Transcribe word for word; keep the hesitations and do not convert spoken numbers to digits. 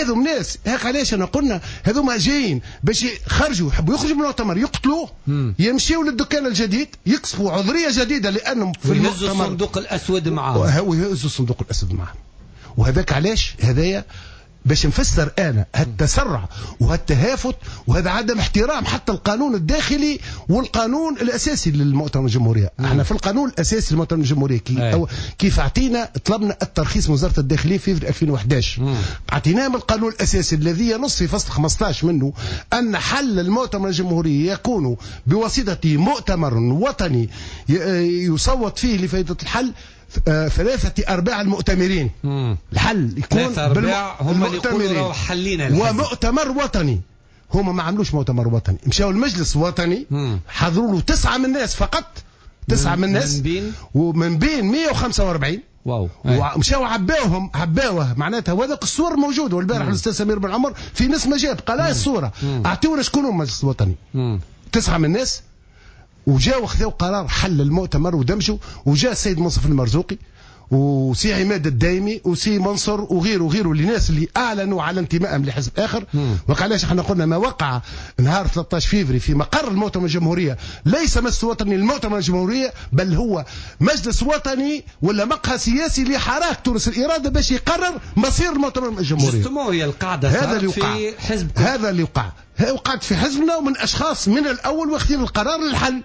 هذو ناس هاك علاش انا قلنا هذوما جايين باش يخرجوا، يحبوا يخرجوا من المؤتمر، يقتلوه، يمشيوا للدكان الجديد، يكسبوا عذريه جديدة لانهم في المؤتمر الصندوق الاسود معاهم، ويهزوا الصندوق الاسود معاهم. وهذاك علاش هذايا باش نفسر انا هالتسرع وهالتهافت وهذا عدم احترام حتى القانون الداخلي والقانون الاساسي للمؤتمر الجمهورية. احنا في القانون الاساسي للمؤتمر الجمهورية كي أو كيف اعطينا طلبنا الترخيص من وزارة الداخلية في ألفين وأحد عشر، اعطيناه من القانون الاساسي الذي ينص في فصل خمسة عشر منه ان حل المؤتمر الجمهوري يكون بواسطة مؤتمر وطني يصوت فيه لفائدة الحل ثلاثة أرباع المؤتمرين. مم. الحل يكون بالمؤتمرين ومؤتمر وطني. هما ما عملوش مؤتمر وطني، مشاو المجلس الوطني حضروا له تسعة من الناس فقط، تسعة من الناس من بين ومن بين مئة وخمسة وأربعين. واو. ومشاو عباوهم عباوه معناتها، وهذاك الصور موجودة. والبارح الاستاذ سمير بن عمر في نسمه جاب قال هاي الصورة، اعطيونا شكون هو المجلس الوطني. مم. تسعة من الناس وجاو خذوا قرار حل المؤتمر ودمجوا، وجاء السيد منصف المرزوقي وسي عماد الدايمي وسي منصر وغيره وغيره الناس اللي اعلنوا على انتمائهم لحزب اخر. وعلاش احنا قلنا ما وقع نهار ثلاثة عشر فيفري في مقر المؤتمر الجمهورية ليس مجلس وطني للمؤتمر الجمهورية، بل هو مجلس وطني ولا مقهى سياسي لحراك تونس الارادة باش يقرر مصير المؤتمر الجمهورية. justement هي القاعدة هذا اللي وقع في حزب، هذا اللي وقع وقعت في حزبنا ومن اشخاص من الاول واخذين القرار للحل.